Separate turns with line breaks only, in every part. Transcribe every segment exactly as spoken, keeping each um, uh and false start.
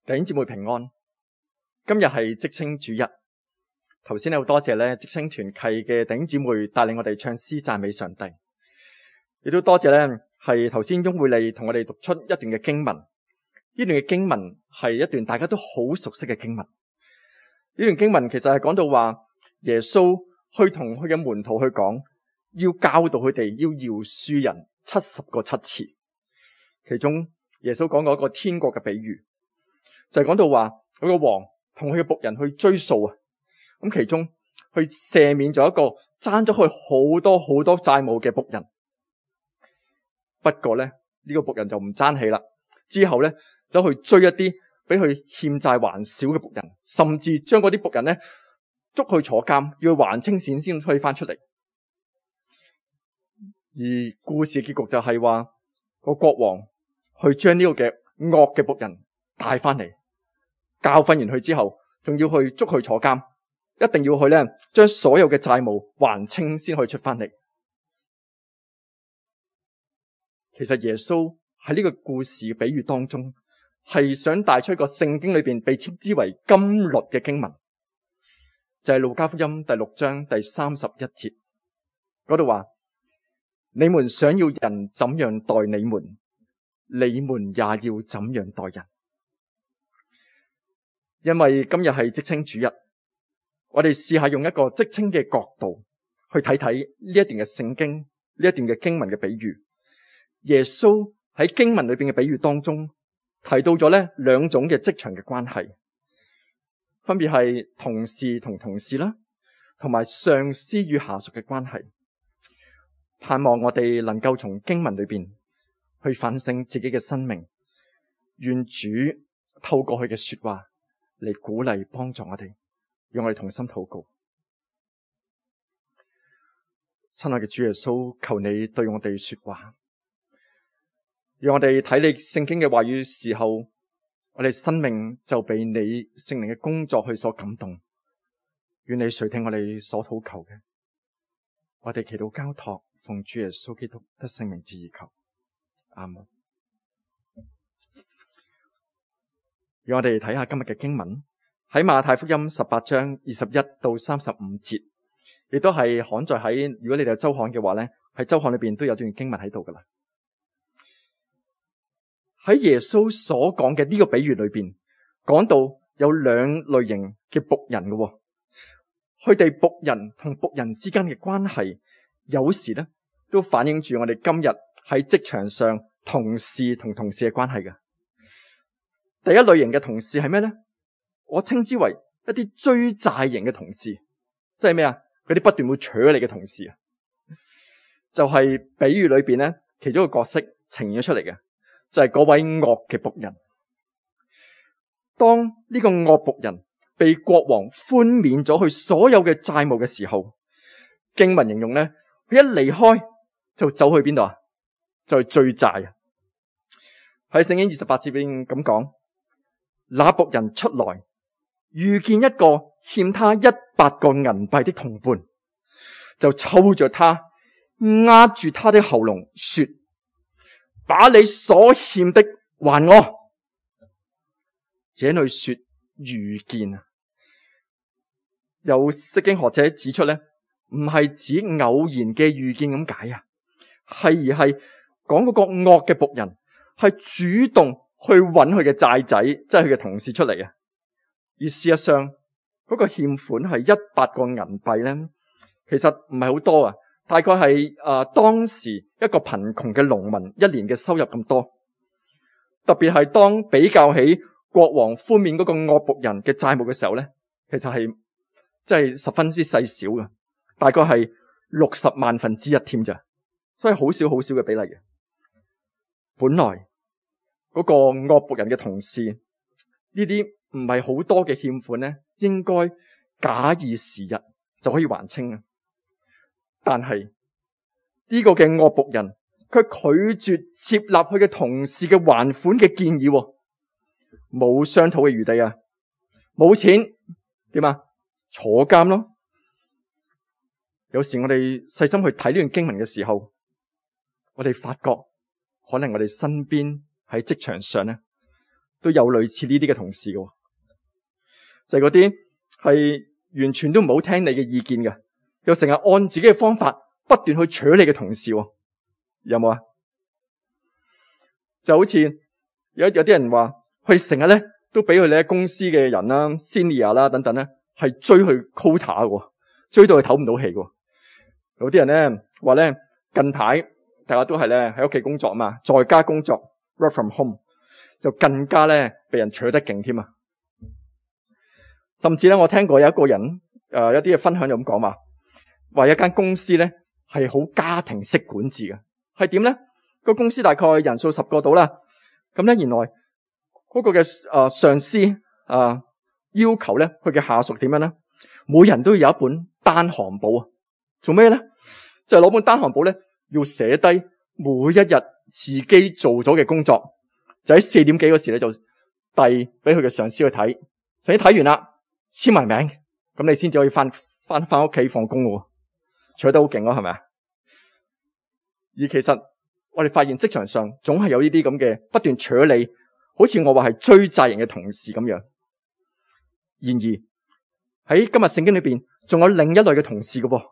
弟兄姊妹平安，今日係職青主日。頭先好多謝咧職青團契嘅弟兄姊妹帶領我哋唱詩讚美上帝，亦都多謝咧係頭先翁會利同我哋讀出一段嘅經文。呢段嘅經文係一段大家都好熟悉嘅經文。呢段經文其實係講到話耶穌去同佢嘅門徒去講，要教導佢哋要饒恕人七十個七次。其中耶穌講過一個天國嘅比喻，就係講到話佢個王同佢嘅僕人去追數啊，咁其中去赦免咗一個爭咗佢好多好多債務嘅僕人。不過咧呢個僕人就唔爭氣啦，之後咧走去追一啲比佢欠債還少嘅僕人，甚至將嗰啲僕人咧捉去坐監，要還清錢先可以翻出嚟。而故事嘅結局就係話個國王去將呢個嘅惡嘅僕人帶翻嚟，教訓完佢之後，仲要去捉佢坐監，一定要去咧將所有嘅債務還清先可以出翻嚟。其實耶穌喺呢個故事嘅比喻當中，係想帶出一個聖經裏邊被稱之為金律嘅經文，就係路加福音第六章第三十一節嗰度話：你們想要人怎樣待你們，你們也要怎樣待人。因為今日係職青主日，我哋試下用一個職青嘅角度去睇睇呢一段嘅聖經，呢一段嘅經文嘅比喻。耶穌喺經文裏邊嘅比喻當中提到咗咧兩種嘅職場嘅關係，分別係同事同同事啦，同埋上司與下屬嘅關係。盼望我哋能夠從經文裏邊去反省自己嘅生命，願主透過佢嘅說話嚟鼓勵幫助我哋，讓我哋同心禱告。親愛嘅主耶穌，求你對我哋說話，讓我哋睇你聖經嘅話語時候，我哋生命就被你聖靈嘅工作去所感動。願你垂聽我哋所禱求嘅，我哋祈禱交託，奉主耶穌基督得聖名之而求，阿門。讓我哋睇下今日嘅經文，喺馬太福音十八章二十一到三十五節，亦都係刊載喺，如果你哋有周刊嘅話咧，喺周刊裏邊都有段經文喺度噶啦。喺耶穌所講嘅呢個比喻裏邊，講到有兩類型嘅僕人嘅，佢哋僕人同僕人之間嘅關係，有時咧都反映住我哋今日喺職場上同事同同事嘅關係嘅。第一類型嘅同事係咩咧？我稱之為一啲追債型嘅同事，即係咩啊？嗰啲不斷會扯你嘅同事啊，就係比喻裏邊咧其中一個角色呈現咗出嚟嘅，就係嗰位惡嘅僕人。當呢個惡僕人被國王寬免咗佢所有嘅債務嘅時候，經文形容咧，佢一離開就走去邊度啊？就去追債啊！喺聖經二十八節邊咁講，那僕人出來，遇見一個欠他一百個銀幣的同伴，就抽着他，壓住他的喉嚨，說：把你所欠的還我。這裏說遇見啊，有釋經學者指出咧，唔係指偶然嘅遇見咁解啊，係而係講嗰個惡嘅僕人係主動去揾佢嘅債仔，即係佢嘅同事出嚟啊。而事實上嗰個欠款係一百個銀幣咧，其實唔係好多啊，大概係誒、呃、當時一個貧窮嘅農民一年嘅收入咁多。特別係當比較起國王寬免嗰個惡僕人嘅債務嘅時候咧，其實係即係十分之細小嘅，大概係六十萬分之一添咋，所以好少好少嘅比例嘅。本來嗰個惡僕人嘅同事呢啲唔係好多嘅欠款咧，應該假以時日就可以還清啊。但係呢個嘅惡僕人，佢拒絕接納佢嘅同事嘅還款嘅建議，冇商討嘅餘地啊！冇錢點啊？坐監咯！有時我哋細心去睇呢段經文嘅時候，我哋發覺可能我哋身邊喺職場上咧，都有類似呢啲嘅同事嘅，就係嗰啲係完全都唔好聽你嘅意見嘅，又成日按自己嘅方法不斷去取你嘅同事，有冇啊？就好似有有啲人話，佢成日咧都俾佢哋喺公司嘅人啦、senior 啦等等咧，係追去 quota 嘅，追到佢唞唔到氣嘅。有啲人咧話咧，近排大家都係咧喺屋企工作啊嘛，在家工作 work from home 就更加咧被人取得勁添啊！甚至咧，我聽過有一個人誒、呃，一啲嘅分享就咁講話，話一間公司咧係好家庭式管治嘅，係點咧？個公司大概人數十個到啦，咁咧原來嗰個嘅誒、呃、上司啊、呃、要求咧佢嘅下屬點樣咧？每人都要有一本單行簿啊！做咩咧？就係、是、攞本單行簿咧，要寫低每一日自己做咗嘅工作，就喺四點幾嗰時咧就遞俾佢嘅上司去睇，上司睇完啦，簽埋名，咁你先至可以翻翻翻屋企放工嘅，取得好勁咯，係咪啊？而其實我哋發現職場上總係有呢啲咁嘅不斷取你，好似我話係追債人嘅同事咁樣。然而喺今日聖經裏邊，仲有另一類嘅同事嘅噃，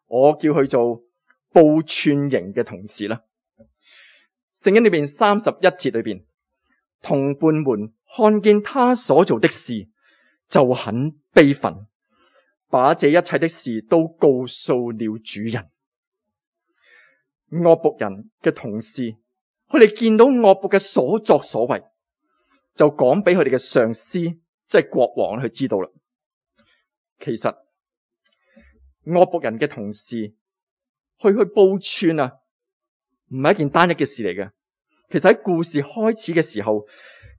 我叫佢做報串型嘅同事啦。聖經裏邊三十一節裏邊，同伴們看見他所做的事，就很悲憤，把這一切的事都告訴了主人。惡僕人嘅同事，佢哋見到惡僕嘅所作所為，就講俾佢哋嘅上司，即係國王去知道啦。其實惡僕人嘅同事去去報串啊，唔係一件單一嘅事嚟嘅。其實喺故事開始嘅時候，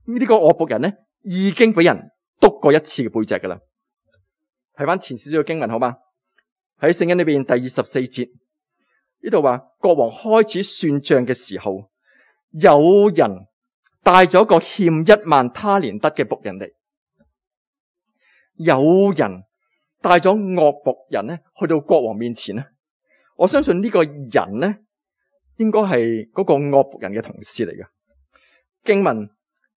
呢、這個惡僕人咧已經俾人督過一次嘅背脊噶啦。睇翻前少少嘅經文好嗎？喺聖經裏邊第二十四節呢度話，國王開始算賬嘅時候，有人帶咗個欠一萬他連得嘅僕人嚟，有人帶咗惡僕人咧去到國王面前咧。我相信呢個人咧應該係嗰個惡僕人嘅同事嚟嘅。經文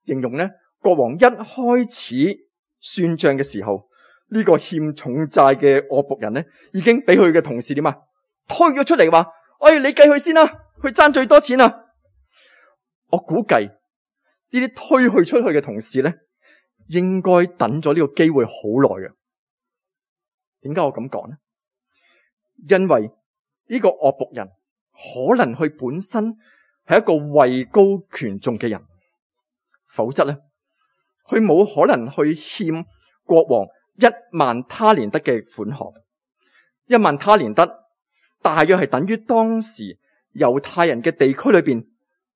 形容咧，國王一開始算賬嘅時候，呢、這個欠重債嘅惡僕人咧已經俾佢嘅同事點啊推咗出嚟，話：哎，你計佢先啦，佢爭最多錢啊！我估計呢啲推佢出去嘅同事咧，應該等咗呢個機會好耐嘅。點解我咁講呢？因為呢個惡僕人可能佢本身係一個位高權重嘅人，否則咧佢冇可能去欠國王一萬他連得嘅款項。一萬他連得大約係等於當時猶太人嘅地區裏邊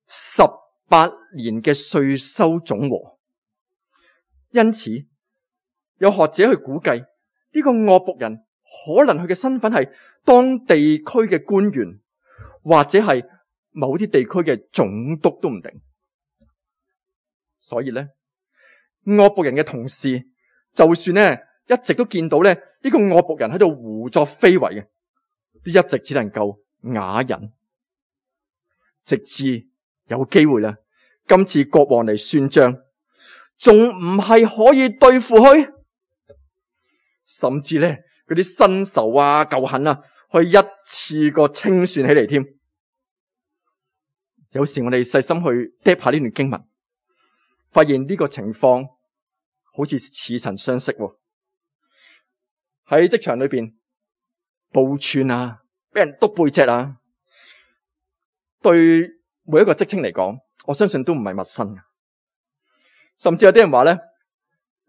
十八年嘅稅收總和。因此有學者去估計，呢個惡僕人可能佢嘅身份係當地區嘅官員，或者係某啲地區嘅總督都唔定。所以咧，惡僕人嘅同事就算咧一直都見到咧呢個惡僕人喺度胡作非為嘅，都一直只能夠啞忍，直至有機會啦。今次國王嚟算賬，仲唔係可以對付佢？甚至咧嗰啲新仇啊、舊恨啊，可以一次過清算起嚟添。有時我哋細心去睇下呢段經文，發現呢個情況好似似曾相識喎。喺職場裏邊報串啊，俾人督背脊啊，對每一個職稱嚟講，我相信都唔係陌生嘅。甚至有啲人話咧，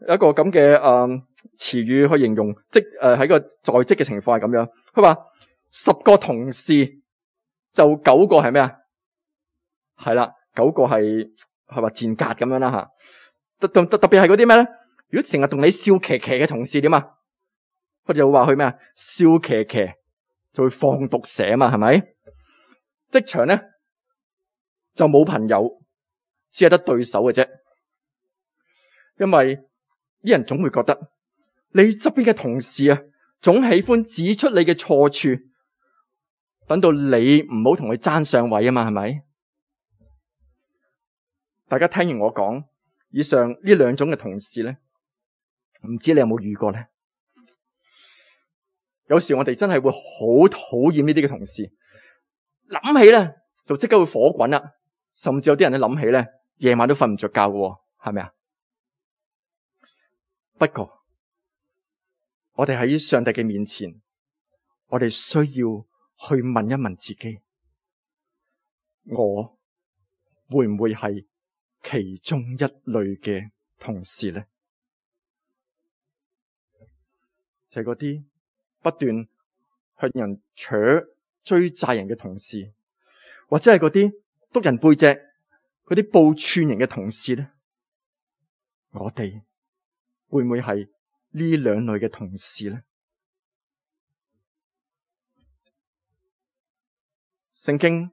有一個咁嘅誒詞語去形容職誒喺個在職嘅情況係咁樣。佢話十個同事就九個係咩啊？係啦，九個係係話賤格咁樣啦吓。特特特別係嗰啲咩咧？如果成日同你笑騎騎嘅同事點啊？佢就會話佢咩啊？笑騎騎就會放毒蛇啊嘛，係咪？職場咧就冇朋友，只係得對手嘅啫。因為啲人總會覺得你側邊嘅同事啊，總喜歡指出你嘅錯處，等到你唔好同佢爭上位啊嘛，係咪？大家聽完我講，以上呢兩種嘅同事咧，唔知你有冇遇過咧？有時我哋真係會好討厭呢啲嘅同事，諗起咧就即刻會火滾啦，甚至有啲人咧諗起咧夜晚都瞓唔着覺嘅，係咪啊？不過我哋喺上帝嘅面前，我哋需要去問一問自己，我會唔會係其中一類嘅同事呢？就係嗰啲不斷向人扯追債人嘅同事，或者係嗰啲督人背脊嗰啲報串人嘅同事呢？我哋會唔會係呢兩類嘅同事呢？聖經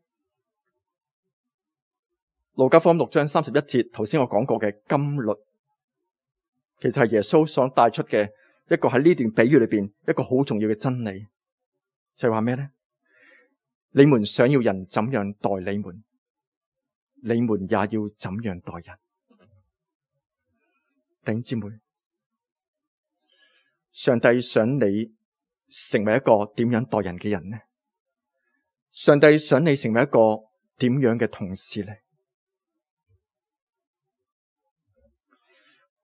路加福音六章三十一節，頭先我講過嘅金律，其實係耶穌所帶出嘅一個喺呢段比喻裏邊一個好重要嘅真理，就係話咩呢？你們想要人怎樣待你們，你們也要怎樣待人。弟兄姊妹，上帝想你成為一個點樣待人嘅人呢？上帝想你成為一個點樣嘅同事呢？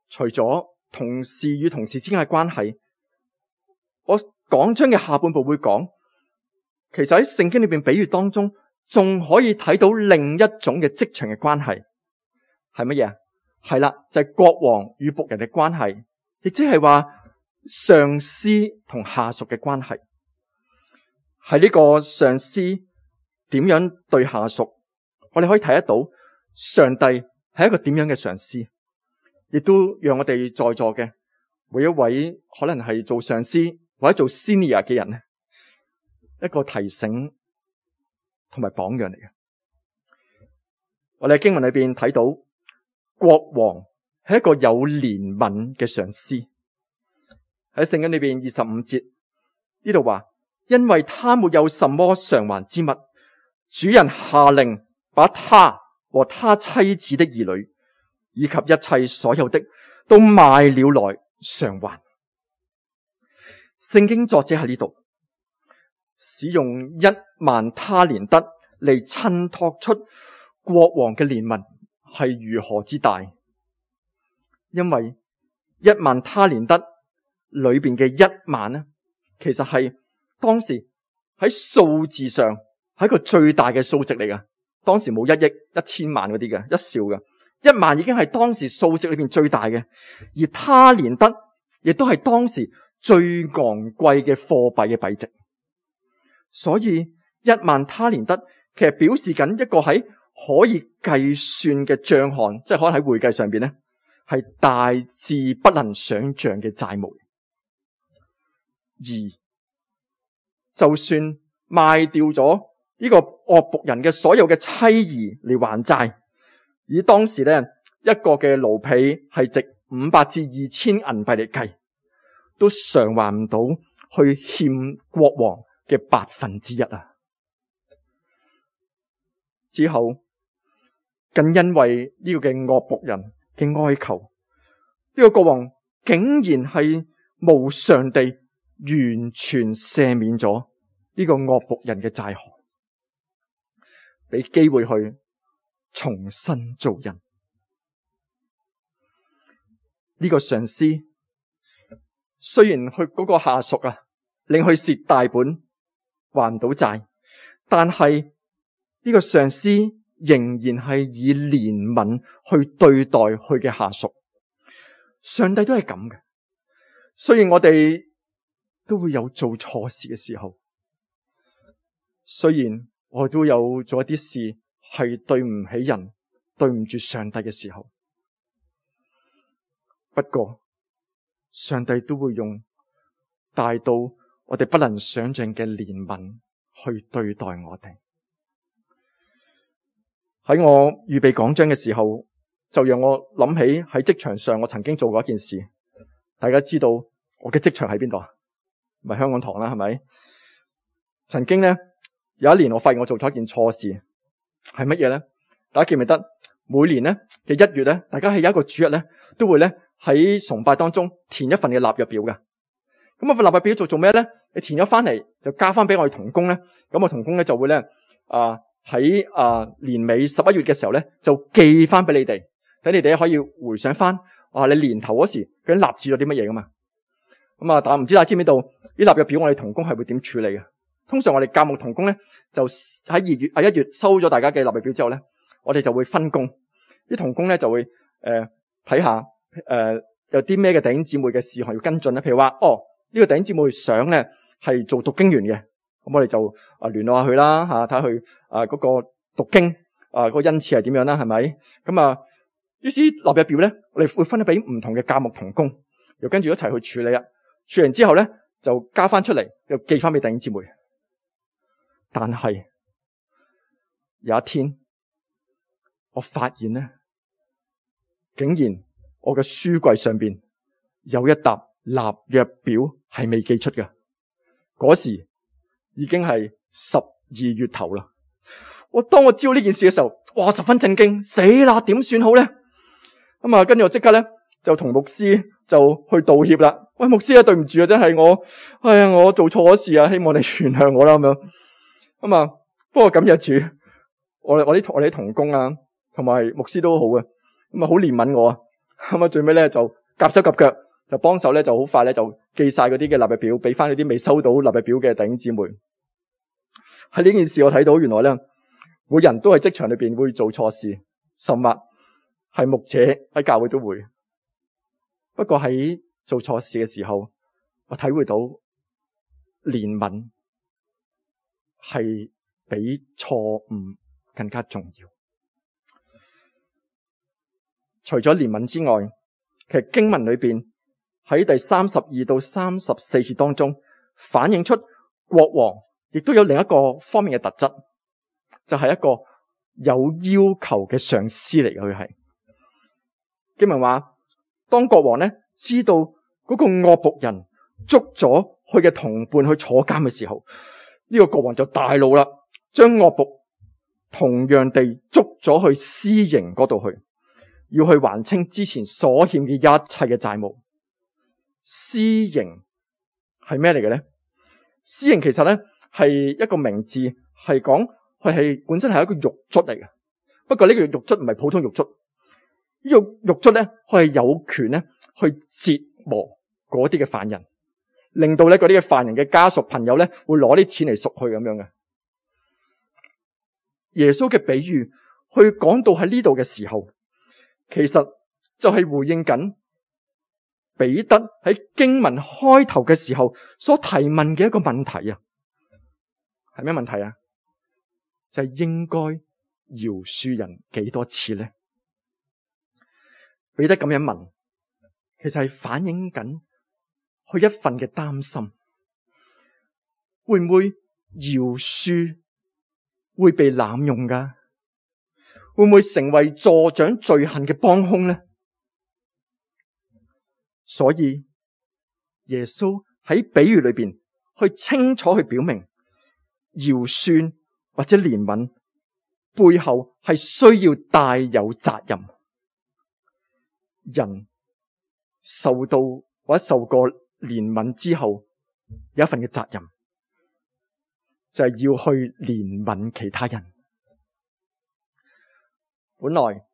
除咗同事與同事之間嘅關係，我講章嘅下半部會講，其實喺聖經裏邊比喻當中，仲可以睇到另一種嘅職場嘅關係，係乜嘢啊？係啦，就係國王與僕人嘅關係，亦即係話上司同下屬嘅關係。係呢個上司點樣對下屬，我哋可以睇得到上帝係一個點樣嘅上司，亦都讓我哋在座嘅每一位可能係做上司或者做 senior 嘅人咧，一個提醒同埋榜樣嚟嘅。我哋喺經文裏邊睇到國王係一個有憐憫嘅上司。喺聖經裏邊二十五節呢度話，因為他沒有什麼償還之物，主人下令把他和他妻子的兒女以及一切所有的都賣了來償還。聖經作者喺呢度使用一萬他連得嚟襯托出國王嘅憐憫係如何之大，因為一萬他連得裏邊嘅一萬呢，其實係當時喺數字上係一個最大嘅數值嚟㗎。當時冇一億、一千萬嗰啲嘅，一兆嘅，一萬已經係當時數值裏邊最大嘅。而他連得亦都係當時最昂貴嘅貨幣嘅幣值。所以一萬他連得其實表示緊一個喺可以計算嘅賬項，即係可能喺會計上邊咧係大致不能想象嘅債務。而就算賣掉咗呢個惡僕人嘅所有嘅妻兒嚟還債，以當時咧一個嘅奴婢係值五百至二千銀幣嚟計，都償還唔到去欠國王嘅百分之一啊！之後更因為呢個嘅惡僕人嘅哀求，呢個國王竟然係無償地完全赦免咗呢個惡僕人嘅債項，俾機會去重新做人。呢個上司雖然佢嗰個下屬啊令佢蝕大本還唔到債，但係呢個上司仍然係以憐憫去對待佢嘅下屬。上帝都係咁嘅，雖然我哋都會有做錯事嘅時候，雖然我都有做一啲事係對唔起人、對唔住上帝嘅時候，不過上帝都會用大到我哋不能想象嘅憐憫去對待我哋。喺我預備講章嘅時候，就讓我諗起喺職場上我曾經做過一件事。大家知道我嘅職場喺邊度啊？咪香港堂啦，係咪？曾經咧有一年，我發現我做咗一件錯事，係乜嘢咧？大家記唔記得？每年咧嘅一月咧，大家喺有一個主日咧，都會咧喺崇拜當中填一份嘅納約表嘅。咁啊份納約表做做咩咧？你填咗翻嚟就交翻俾我哋同工咧，咁我同工咧就會咧啊喺啊年尾十一月嘅時候咧就寄翻俾你哋，等你哋可以回想翻啊你年頭嗰時究竟立志咗啲乜嘢噶嘛。咁啊，但係唔知大家知唔知道呢納約表我哋同工係會點處理嘅？通常我哋教牧同工咧就喺二月啊一月收咗大家嘅納約表之後咧，我哋就會分工，啲同工咧就會誒睇下誒有啲咩嘅弟兄姊妹嘅事項要跟進咧。譬如話哦呢、這個弟兄姊妹想咧係做讀經員嘅，咁我哋就啊聯絡下佢啦吓，睇下佢啊嗰個讀經啊嗰個恩賜係點樣啦，係咪？咁啊，於是納約表咧，我哋會分咗俾唔同嘅教牧同工，又跟住一齊去處理啊。處理完之後咧，就交翻出嚟，又寄翻俾弟兄姊妹。但係有一天，我發現咧，竟然我嘅書櫃上邊有一沓納約表係未寄出嘅。嗰時已經係十二月頭啦。我當我知道呢件事嘅時候，哇，十分震驚，死啦，點算好咧？咁啊，跟住我即刻咧就同牧師就去道歉啦。喂，牧師啊，對唔住啊，真係我，哎呀，我做錯咗事啊，希望你原諒我啦，咁樣。咁啊，不過感謝主，我我啲我哋啲同工啊，同埋牧師都好嘅，咁啊好憐憫我啊。咁啊最尾咧就夾手夾腳，就幫手咧就好快咧就寄晒嗰啲嘅納約表，俾翻嗰啲未收到納約表嘅弟兄姊妹。喺呢件事我睇到原來咧，每人都喺職場裏邊會做錯事，甚至係牧者喺教會都會。不過喺做錯事嘅時候，我體會到憐憫係比錯誤更加重要。除咗憐憫之外，其實經文裏邊喺第三十二到三十四節當中，反映出國王亦都有另一個方面嘅特質，就係、是、一個有要求嘅上司嚟嘅。佢係經文話，當國王咧知道嗰個惡僕人捉咗佢嘅同伴去坐監嘅時候，呢、這個國王就大怒啦，將惡僕同樣地捉咗去私刑嗰度去，要去還清之前所欠嘅一切嘅債務。私刑係咩嚟嘅咧？私刑其實咧係一個名字，係講佢係本身係一個獄卒嚟嘅。不過呢個獄卒唔係普通獄卒，呢、這個獄卒咧佢係有權咧去折磨嗰啲嘅犯人，令到咧嗰啲嘅犯人嘅家屬朋友咧會攞啲錢嚟贖去咁樣嘅。耶穌嘅比喻去講到喺呢度嘅時候，其實就係回應緊彼得喺經文開頭嘅時候所提問嘅一個問題啊，係咩問題啊？就係應該饒恕人幾多次呢？彼得咁樣問，其實係反映緊佢一份嘅擔心，會唔會饒恕會被濫用噶？會唔會成為助長罪行嘅幫兇呢？所以耶穌喺比喻裏邊去清楚去表明，饒恕或者憐憫背後係需要帶有責任。人受到或者受過憐憫之後，有一份嘅責任，就係要去憐憫其他人。本來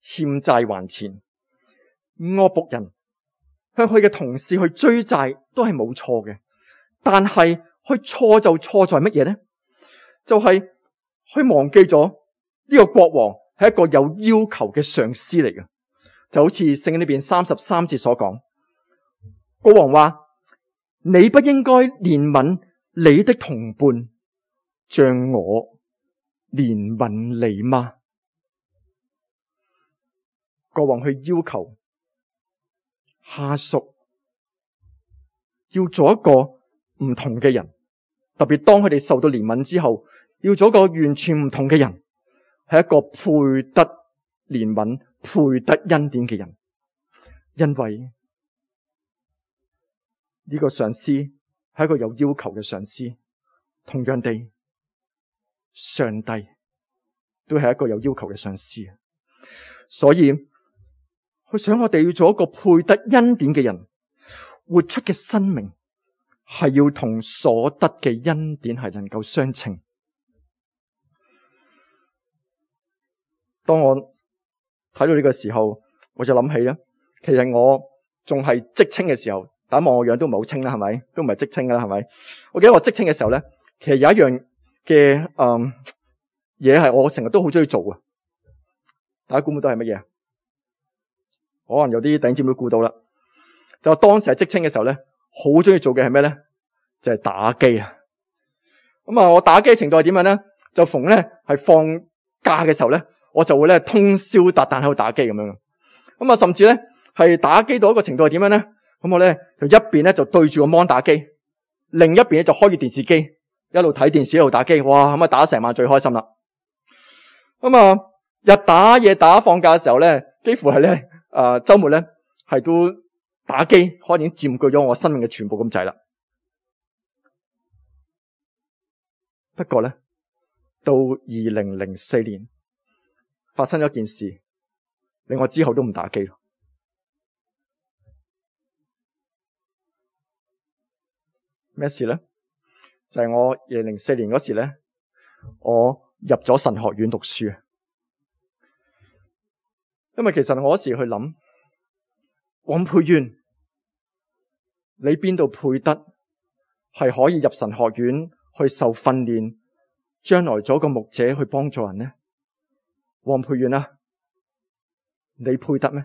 欠債還錢，惡僕人向佢嘅同事去追債都係冇錯嘅，但係佢錯就錯在乜嘢呢？就係、是、佢忘記咗呢個國王係一個有要求嘅上司嚟嘅，就好似聖經呢邊三十三節所講，國王話：你不應該憐憫你的同伴，像我憐憫你嗎？國王去要求下屬要做一個唔同嘅人，特別當佢哋受到憐憫之後，要做一個完全唔同嘅人，係一個配得憐憫、配得恩典嘅人。因為呢個上司係一個有要求嘅上司，同樣地，上帝都係一個有要求嘅上司。所以佢想我哋要做一個配得恩典嘅人，活出嘅生命係要同所得嘅恩典係能夠相稱。當我睇到呢個時候，我就諗起咧，其實我仲係職青嘅時候，大家望我樣都唔係好清啦，係咪？都唔係職青噶啦，係咪？我記得我職青嘅時候咧，其實有一樣嘅誒嘢係我成日都好中意做嘅。大家估唔估到係乜嘢？可能有啲弟兄姊妹估到啦。就當時喺職青嘅時候咧，好中意做嘅係咩咧？就係打機啊！咁啊，我打機嘅程度係點樣咧？就逢咧係放假嘅時候咧，我就會咧通宵達旦喺度打機咁樣。咁啊，甚至咧係打機到一個程度係點樣咧？咁我咧就一邊咧就對住個 mon 打機，另一邊咧就開住電視機，一路睇電視一路打機。哇！咁啊打成晚最開心啦。咁啊，日打夜打，放假嘅時候咧，幾乎係咧誒週末咧係都打機，可能已經佔據咗我生命嘅全部咁滯啦。不過咧，到二零零四年發生咗一件事，令我之後都唔打機。咩事咧？就係我二零零四年嗰時咧，我入咗神學院讀書啊。因為其實我嗰時去諗，黃佩淵，你邊度配得係可以入神學院去受訓練，將來做個牧者去幫助人呢？黃佩淵啊，你配得咩？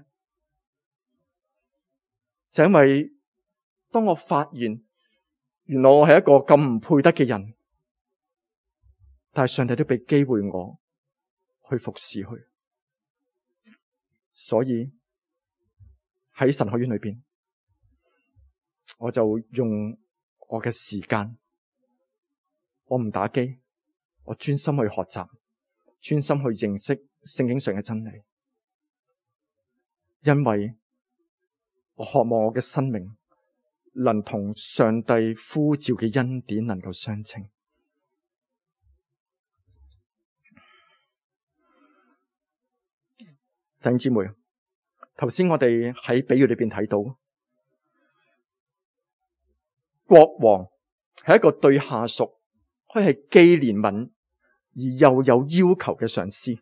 就因為當我發現原來我係一個咁唔配得嘅人，但係上帝都俾機會我去服侍佢，所以喺神學院裏邊，我就用我嘅時間，我唔打機，我專心去學習，專心去認識聖經上嘅真理，因為我渴望我嘅生命能同上帝呼召嘅恩典能夠相稱。弟兄姊妹，頭先我哋喺比喻裏邊睇到，國王係一個對下屬可以係既憐憫而又有要求嘅上司。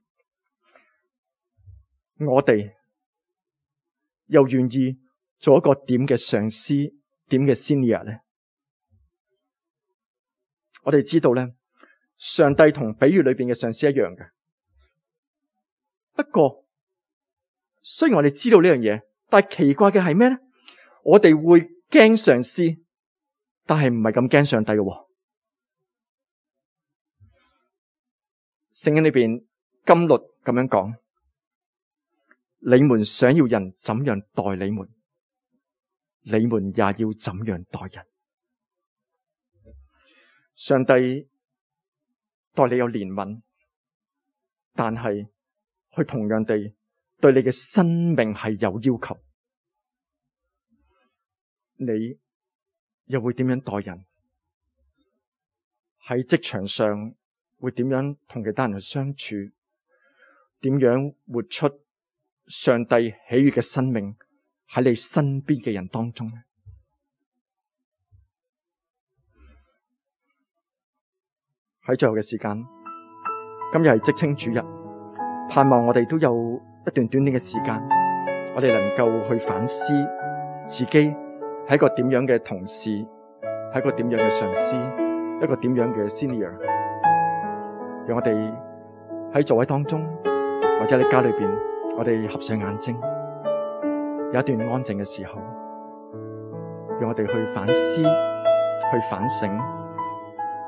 我哋又願意做一個點嘅上司，點嘅 senior 咧？我哋知道咧，上帝同比喻裏邊嘅上司一樣嘅。不過雖然我哋知道呢樣嘢，但係奇怪嘅係咩咧？我哋會驚上司，但係唔係咁驚上帝嘅。聖經裏邊金律咁樣講：你們想要人怎樣待你們，你們也要怎樣待人。上帝待你有憐憫，但係佢同樣地對你嘅生命係有要求。你又會點樣待人？喺職場上會點樣同其他人去相處？點樣活出上帝喜悅嘅生命喺你身邊嘅人當中呢？喺最後嘅時間，今日係職青主日，盼望我哋都有一段短短嘅時間，我哋能夠去反思自己係一個點樣嘅同事，係一個點樣嘅上司，一個點樣嘅 senior。讓我哋喺座位當中，或者喺家裏邊，我哋合上眼睛，有一段安靜嘅時候，讓我哋去反思，去反省，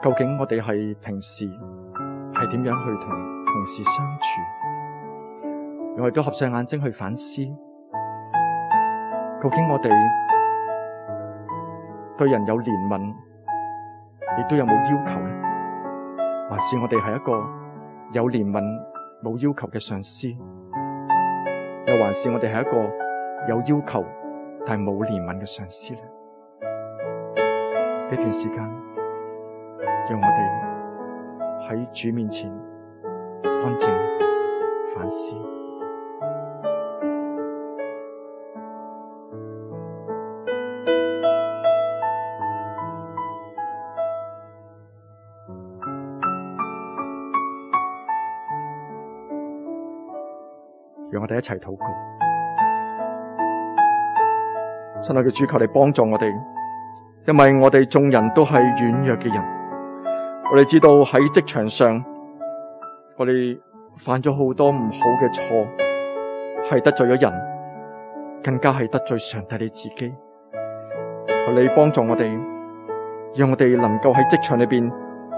究竟我哋係平時係點樣去同同事相處？讓我哋都合上眼睛去反思，究竟我哋對人有憐憫，亦都有冇要求呢？還是我哋係一個有憐憫冇要求嘅上司？又還是我哋係一個有要求但係冇憐憫嘅上司呢？呢段時間，讓我哋喺主面前安靜反思。我哋一齊禱告。親愛嘅主，求你幫助我哋，因為我哋眾人都係軟弱嘅人。我哋知道喺職場上，我哋犯咗好多唔好嘅錯，係得罪咗人，更加係得罪上帝你自己。求你幫助我哋，讓我哋能夠喺職場裏邊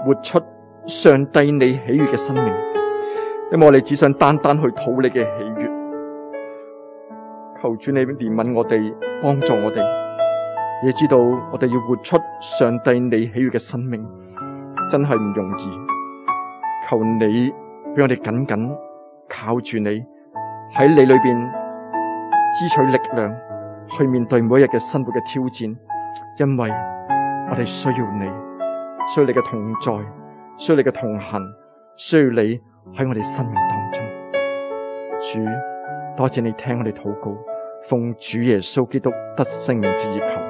活出上帝你喜悅嘅生命，因為我哋只想單單去討你嘅喜悅。求主你憐憫我哋，幫助我哋，也知道我哋要活出上帝你喜悅嘅生命，真係唔容易。求你俾我哋緊緊靠住你，喺你裏邊支取力量，去面對每一日嘅生活嘅挑戰。因為我哋需要你，需要你嘅同在，需要你嘅同行，需要你喺我哋生命當中。主，多謝你聽我哋禱告，奉主耶穌基督得勝名之而求。